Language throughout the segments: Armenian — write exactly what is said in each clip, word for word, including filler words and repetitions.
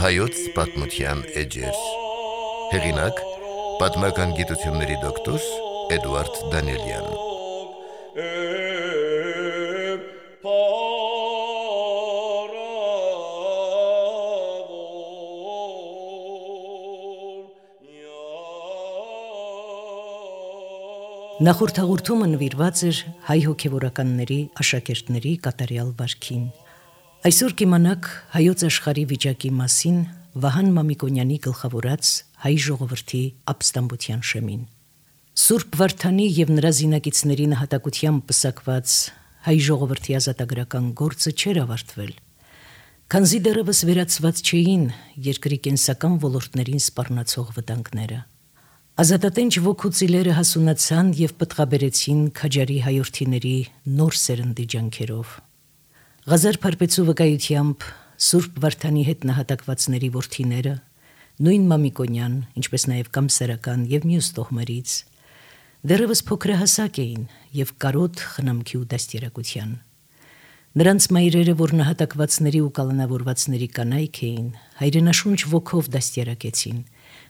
Հայոց պատմության էջեր։ Հեղինակ՝ պատմական գիտությունների դոկտոր Էդուարդ Դանիելյան։ Նախորդ հաղորդումը նվիրված էր հայ հոգևորականների աշակերտների կատարյալ վարքին։ Այսօր կիմանաք հայոց աշխարհի վիճակի մասին Վահան Մամիկոնյանի գլխավորած հայ ժողովրդի ապստամբության շեմին։ Սուրբ Վարդանի եւ նրա զինակիցների նահատակությամբ պսակված հայ ժողովրդի ազատագրական գործը չէր ավարտվել, քանզի դեռևս վերացված չէին երկրի կենսական ոլորտներին սպառնացող վտանգները։ Ազատատենչ ոգու ծիլերը հասունացան եւ պտղաբերեցին քաջարի հայորդիների նոր սերնդի ջանքերով։ Ղազար Փարպեցու վկայությամբ Սուրբ Վարդանի հետ նահատակվածների որդիները, նույն Մամիկոնյան, ինչպես նաև Կամսերական եւ մյուս տոհմերից, դեռևս փոքրահասակ էին եւ կարոտ խնամքի ու դաստիարակության։ Նրանց մայրերը, որ նահատակվածների ու կալանավորվածների կանայք էին, հայրենաշունչ ոգով դաստիարակեցին,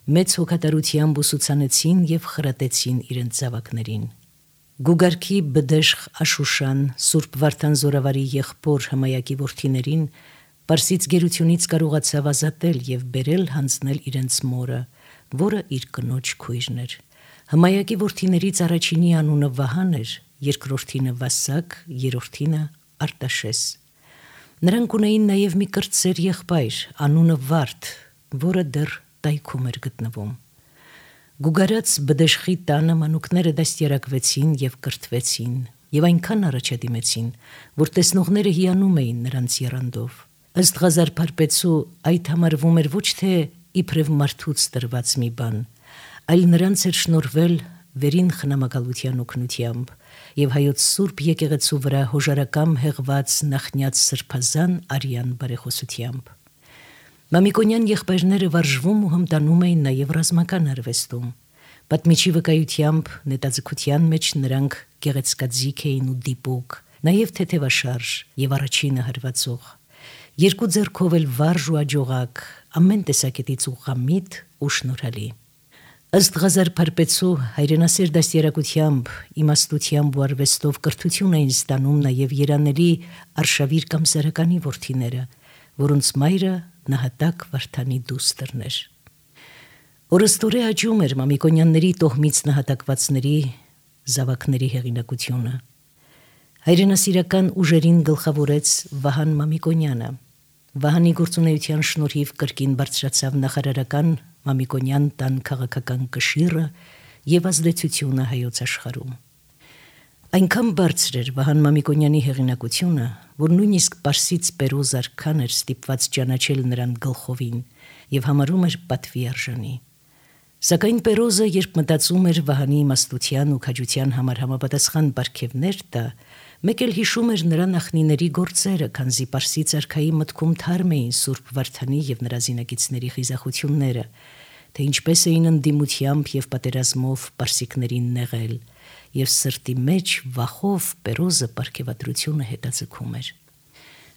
մեծ հոգատարությամբ ուսուցանեցին եւ խրատեցին իրենց զավակներին։ Գուգարքի Բդեշխ Աշուշան, Սուրբ Վարդան Զորավարի եղբոր Հմայակի որդիներին Պարսից գերությունից կարողացավ ազատել եւ բերել հանձնել իրենց մորը, որը իր կնոջ քույրն էր։ Հմայակի որդիներից առաջինի անունը Վահան էր, երկրորդինը Վասակ, երրորդինը Արտաշես։ Նրանք ունեին նաեւ մի կրտսեր եղբայր, անունը Վարդ, որը դեռ տայքում էր գտնվում։ Գուգարած Բդեշխի տանը մանուկները դաստիարակվեցին եւ կրթվեցին եւ այնքան առաջադիմեցին, որ տեսնողները հիանում էին նրանց եռանդով։ Ըստ Ղազար Փարպեցու այդ համարվում էր ոչ թե իբրև մարդուց տրված մի բան, այլ նրանց էր շնորհվել վերին խնամակալության օգնությամբ եւ հայոց Սուրբ եկեղեցու վրա հոժարակամ հեղված նախնյաց սրբազան արյան բարեխոսությամբ։ Մամիկոնյան եղբայրները վարժվում ու հմտանում էին նաև ռազմական արվեստում։ Պատմիչի վկայությամբ նետաձգության մեջ նրանք գեղեցկաձիգ էին ու դիպուկ, նաև թեթևաշարժ եւ առաջինը հարվածող։ Երկու ձեռքով էլ վարժ ու աջողակ, ամեն տեսակետից ուղղամիտ ու շնորհալի։ Ըստ Ղազար Փարպեցու հայրենասեր դաստիարակությամբ, իմաստությամբ ու արվեստով կրթություն էին ստանում նաև երանելի Արշավիր Կամսերականի որդիները, որոնց մայրը նահատակ Վարդանի դուստրն էր։ Օրստորե աճում էր Մամիկոնյանների տոհմից նահատակվածների զավակների հեղինակությունը։ Հայրենասիրական ուժերին գլխավորեց Վահան Մամիկոնյանը։ Վահանի գործունեության շնորհիվ կրկին բարձրացավ նախարարական Մամիկոնյան տան քաղաքական կշիռը եւ ազդեցությունը հայոց աշխարհում։ Այնքան բարձր էր Վահան Մամիկոնյանի հեղինակությունը, որ նույնիսկ Պարսից Պերոզ արքան էր ստիպված ճանաչել նրան գլխովին եւ համարում էր պատվի արժանի։ Սակայն Պերոզը, երբ մտածում էր Վահանի իմաստության ու քաջության համար համապատասխան պարգևներ տա, մեկ էլ հիշում էր նրա նախնիների գործերը, քանզի Պարսից արքայի մտքում թարմ էին Սուրբ Վարդանի եւ նրա զինակիցների խիզախությունները, թե ինչպես էին ընդդիմությամբ եւ պատերազմով պարսիկներին նեղել, եւ սրտի մեջ վախով Պերոզը պարգևատրությունը հետաձգում էր։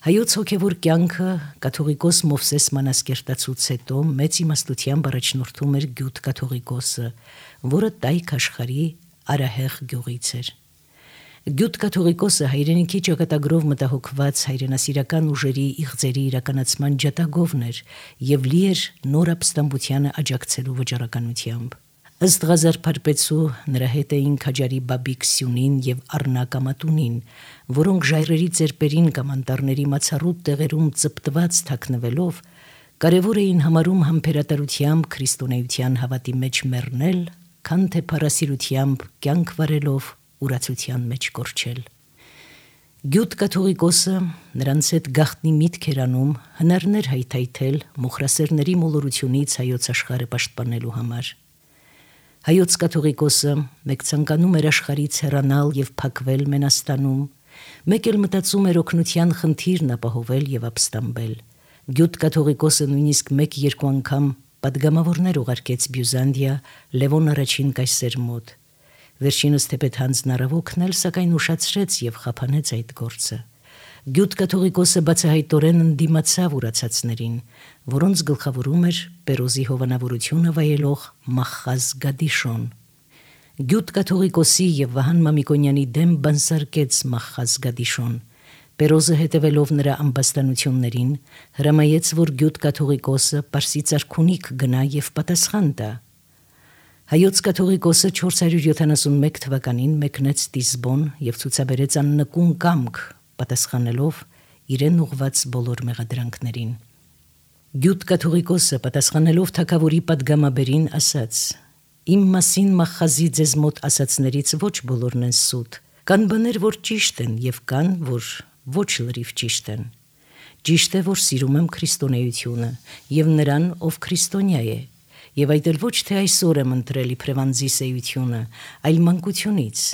Հայոց հոգևոր կյանքը կաթողիկոս Մովսես Մանասկերտացուց հետո մեծ իմաստությամբ առաջնորդում էր Գյուտ կաթողիկոսը, որը տայք աշխարհի Արահեղ գյուղից էր։ Գյուտ կաթողիկոսը հայրենիքի ճակատագրով մտահոգված հայրենասիրական ուժերի իղձերի իրականացման ջատագովն էր եւ լի էր նոր ապստամբությանը աջակցելու վճռականությամբ։ Ըստ Ղազար Փարպեցու նրա հետ էին քաջարի Բաբիկ Սյունին եւ Առնակ Ամատունին, որոնք ժայռերի ծերպերին կամ անտառների մացառուտ տեղերում ծպտված թաքնվելով կարևոր էին համարում համբերատարությամբ քրիստոնեության հավատի մեջ մեռնել, քան թե փառասիրությամբ կյանք վարելով ուրացության մեջ կորչել։ Գյուտ կաթողիկոսը նրանց հետ գաղտնի միտք էր անում հնարներ հայթայթել մոխրասերների մոլորությունից հայոց աշխարհը պաշտպանելու համար։ Հայոց կաթողիկոսը մեկ ցանկանում էր աշխարհից հեռանալ եւ փակվել Մենաստանում, մեկ էլ մտածում էր օգնության խնդիրն ապահովել եւ ապստամբել։ Գյուտ կաթողիկոսը նույնիսկ մեկ-երկու անգամ պատգամավորներ ուղարկեց Բյուզանդիա Լևոն առաջին կայսեր մոտ։ Վերջինս թեպետ Հանձն Արավոկն էլ սակայն ուշացրեց եւ խափանեց այդ գործը։ Գյուտ կաթողիկոսը բացահայտորեն ընդդիմացավ ուրացածներին, որոնց գլխավորում էր Պերոզի հովանավորությունը վայելող Մախխազ Գադիշոն։ Գյուտ կաթողիկոսի եւ Վահան Մամիկոնյանի դեմ բանսարկեց Մախխազ Գադիշոն։ Պերոզը հետևելով նրա ամբաստանություններին հրամայեց, որ գյուտ կաթողիկոսը Պարսից արքունիք գնա եւ պատասխան տա։ Հայոց կաթողիկոսը չորս հարյուր յոթանասունմեկ թվականին մեկնեց Տիզբոն եւ ցուցաբերեց աննկուն կամք, պատասխանելով իրեն ուղված բոլոր մեղադրանքներին։ Գյուտ կաթողիկոսը պատասխանելով թագավորի պատգամաբերին ասաց. «Իմ մասին Մախխազի ձեզ մոտ ասածներից ոչ բոլորն են սուտ, կան բաներ, որ ճիշտ են եւ կան, որ ոչ լրիվ ճիշտ են։ Ճիշտ է, որ սիրում եմ քրիստոնեությունը եւ նրան, ով քրիստոնյա է, եւ այդ էլ ոչ թե այսօր եմ ընտրել իբրև անձի սեյությունը, այլ մանկությունից,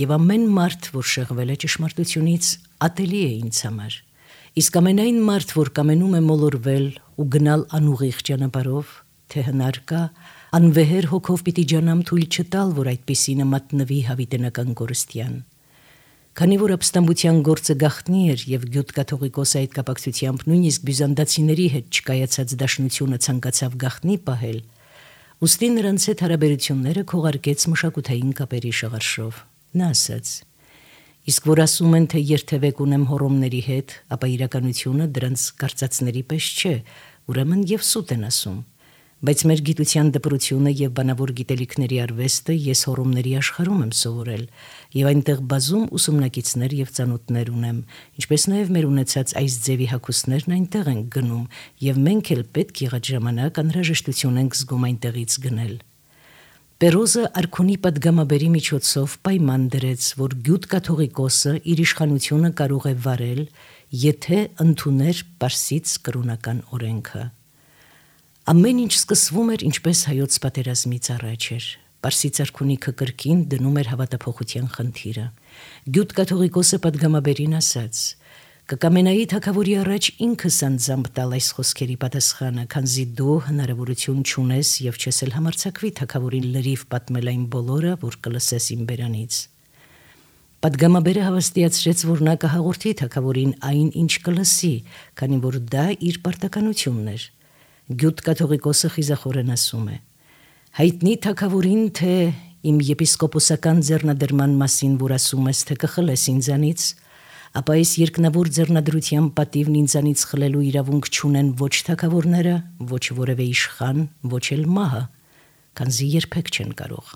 եւ ամեն մարդ, որ շեղվել է ճշմարտությունից, ատելի է ինձ համար։ Իսկ ամենայն մարդ, որ կամենում է մոլորվել ու գնալ անուղիղ ճանապարհով, թե հնար կա, անվեհեր հոգով պիտի ջանամ թույլ չտալ, որ այդպիսինը մատնվի հավիտենական կորստյան։ Քանի որ ապստամբության գործը գաղտնի էր եւ գյուտ կաթողիկոսը այդ կապակցությամբ նույնիսկ բյուզանդացիների հետ չկայացած դաշնությունը ցանկացավ գաղտնի պահել, ուստի նրանց հետ հարաբերությունները քողարկեց մշակութային կապերի շղարշով։ Նա ասաց. «Իսկ որ ասում են, թե երթևեք ունեմ հոռոմների հետ, ապա իրականությունը դրանց կարծածների պես չէ, ուրեմն եւ սուտ են ասում։ Բայց մեր գիտության դպրությունը եւ բանավոր գիտելիքների արվեստը ես հոռոմների աշխարհում եմ սովորել եւ այնտեղ բազում ուսումնակիցներ եւ ծանոթներ ունեմ, ինչպես նաեւ մեր ունեցած այս ձևի հագուստներն այնտեղ են գնում եւ մենք էլ պետք եղած ժամանակ անհրաժեշտություն ենք զգում այնտեղից գնել»։ Պերոզը արքունի պատգամաբերի միջոցով պայման դրեց, որ գյուտ կաթողիկոսը իր իշխանությունը կարող է վարել, եթե ընդուներ Պարսից կրոնական օրենքը։ Ամեն ինչ սկսվում էր ինչպես հայոց պատերազմից առաջ էր։ Պարսից արքունիքը կրկին դնում էր հավատափոխության խնդիրը։ Գյուտ կաթողիկոսը պատգամաբերին ասաց. «Կկամենայի թագավորի առաջ ինքս անձամբ տալ այս խոսքերի պատասխանը, քանզի դու հնարավորություն չունես եւ չես էլ համարձակվի թագավորին լրիվ պատմել այն բոլորը, որ կլսես իմ բերանից»։ Պատգամաբերը հավաստիացրեց, որ նա կհաղորդի թագավորին այն, ինչ կլսի, քանի որ դա իր պարտականությունն էր։ Գյուտ կաթողիկոսը խիզախորեն ասում է. «Հայտնի թագավորին, թե իմ եպիսկոպոսական ձեռնադրման մասին, որ ասում ես, թե կխլես ինձանից, ապա այս երկնավոր ձեռնադրության պատիվն ինձանից խլելու իրավունք չունեն ոչ թագավորները, ոչ որևէ իշխան, ոչ էլ մահը, քանզի երբեք չեն կարող։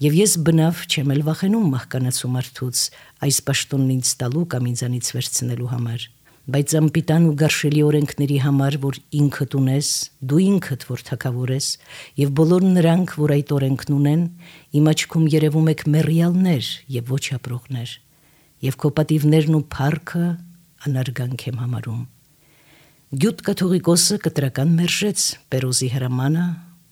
Եվ ես բնավ չեմ էլ վախենում մահկանացու մարդուց այս պաշտոնն ինձ տալու կամ ինձանից վերցնելու համար, բայց անպիտան ու գարշելի օրենքների համար, որ ինքդ ունես, դու ինքդ որ թագավոր ես, եւ բոլոր նրանք, որ այդ օրենքն ունեն, իմ աչքում երևում եք մեռյալներ եւ ոչ ապրողներ, եւ քո պատիվներն ու փառքը անարգանք եմ համարում»։ Գյուտ կաթողիկոսը կտրական մերժեց Պերոզի հրամանը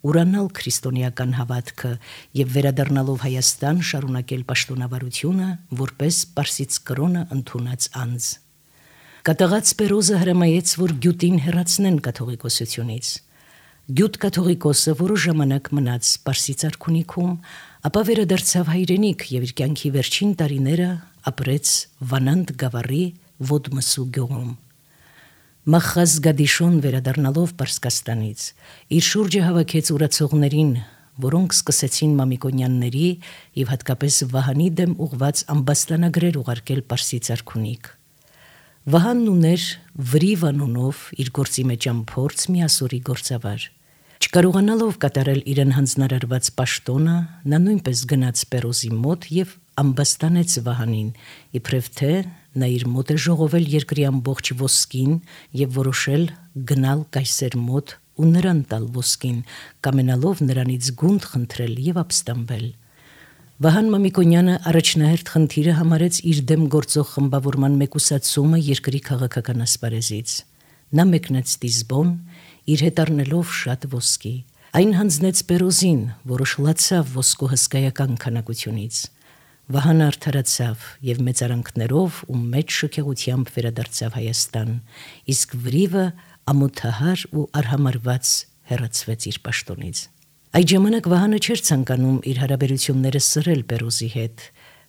ուրանալ քրիստոնեական հավատքը եւ վերադառնալով Հայաստան շարունակել պաշտոնավարությունը որպես Պարսից կրոնը ընդունած անձ։ Կատաղած Պերոզը հրամայեց, որ գյուտին հեռացնեն կաթողիկոսությունից։ Գյուտ կաթողիկոսը որոշ ժամանակ մնաց Պարսից արքունիքում, ապա վերադարձավ հայրենիք եւ իր կյանքի վերջին տարիները ապրեց Վանանդ գավառի Ոդմսու գյուղում։ Մախխազ Գադիշոն վերադառնալով Պարսկաստանից իր շուրջը հավաքեց ուրացողներին, որոնք սկսեցին Մամիկոնյանների եւ հատկապես Վահանի դեմ ուղված ամբաստանագրեր ուղարկել Պարսից արքունիք։ Վահանն ուներ Վրիվ անունով իր գործի մեջ ամփորձ միասորի գործավար։ Չկարողանալով կատարել իրեն հանձնարարված պաշտոնը, նա նույնպես գնաց Պերոզի մոտ եւ ամբաստանեց Վահանին, իբրև թե նա իր մոտ է ժողովել երկրի ամբողջ ոսկին եւ որոշել գնալ կայսեր մոտ ու նրան տալ ոսկին, կամենալով նրանից գունդ խնդրել եւ ապստամբել։ Վահան Մամիկոնյանը առաջնահերթ խնդիրը համարեց իր դեմ գործող խմբավորման մեկուսացումը երկրի քաղաքական ասպարեզից։ Նա մեկնեց Տիզբոն, իր հետ առնելով շատ ոսկի։ Այն հանձնեց Պերոզին, որը շլացավ ոսկու հսկայական քանակությունից։ Վահանը արդարացավ եւ մեծարանքներով ու մեծ շքեղությամբ վերադարձավ Հայաստան, իսկ Վրիվը ամոթահար ու արհամարված հեռացվեց իր պաշտոնից։ Այդ ժամանակ Վահանը չէր ցանկանում իր հարաբերությունները սրել Պերոզի հետ,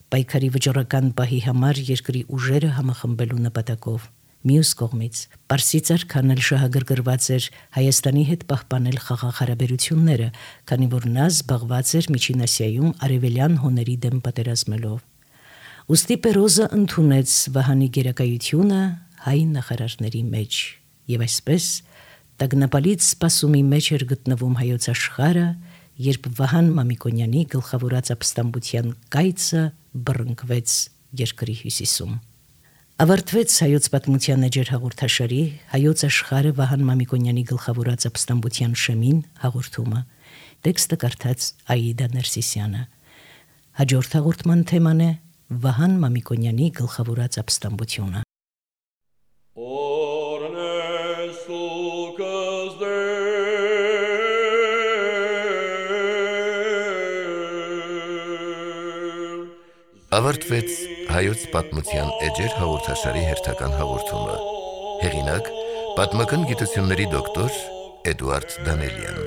պայքարի վճռական պահի համար երկրի ուժերը համախմբելու նպատակով։ Մյուս կողմից Պարսից արքան էլ շահագրգռված էր Հայաստանի հետ պահպանել խաղաղ հարաբերությունները, քանի որ նա զբաղված էր Միջին Ասիայում արևելյան հոների դեմ պատերազմելով։ Ուստի Պերոզը ընդունեց Վահանի գերակայությունը հայ նախարարների մեջ, եւ այսպես տագնապալից սպասումի մեջ էր գտնվում հայոց աշխարհը, երբ Վահան Մամիկոնյանի գլխավորած ապստամբության կայծը բռնկվեց երկրի հյուսիսում։ Ավարտվեց հայոց պատմության էջեր հաղորդաշարի հայոց աշխարհը Վահան Մամիկոնյանի գլխավորած ապստամբության շեմին հաղորդումը։ Տեքստը կարդաց Աիդա Ներսիսյանը։ Հաջորդ հաղորդման թեման է Վահան Մամիկոնյանի գլխավորած ապստամբությունը։ Ավարտվեց հայոց պատմության էջեր հաղորդաշարի հերթական հաղորդումը։ Հեղինակ՝ պատմական գիտությունների դոկտոր Էդուարդ Դանելյան։